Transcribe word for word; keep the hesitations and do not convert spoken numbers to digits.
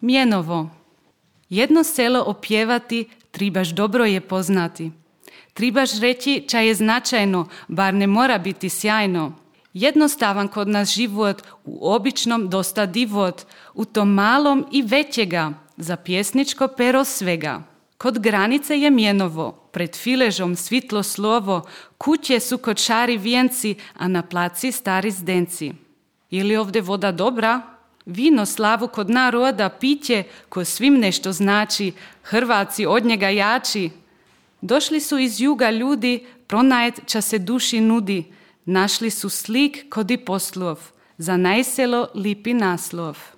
Mjenovo. Jedno selo opjevati, tribaš dobro je poznati. Tribaš reći ča je značajno, bar ne mora biti sjajno. Jednostavan kod nas život, u običnom dosta divot, u tom malom i većega, za pjesničko pero svega. Kod granice je Mjenovo, pred filežom svitlo slovo, kuće su kočari vijenci, a na placi stari zdenci. Je li ovdje voda dobra? Vino slavu kod naroda, piće, ko svim nešto znači, Hrvaci od njega jači. Došli su iz juga ljudi, pronajet ča se duši nudi, našli su slik kod i poslov, za najselo lipi naslov.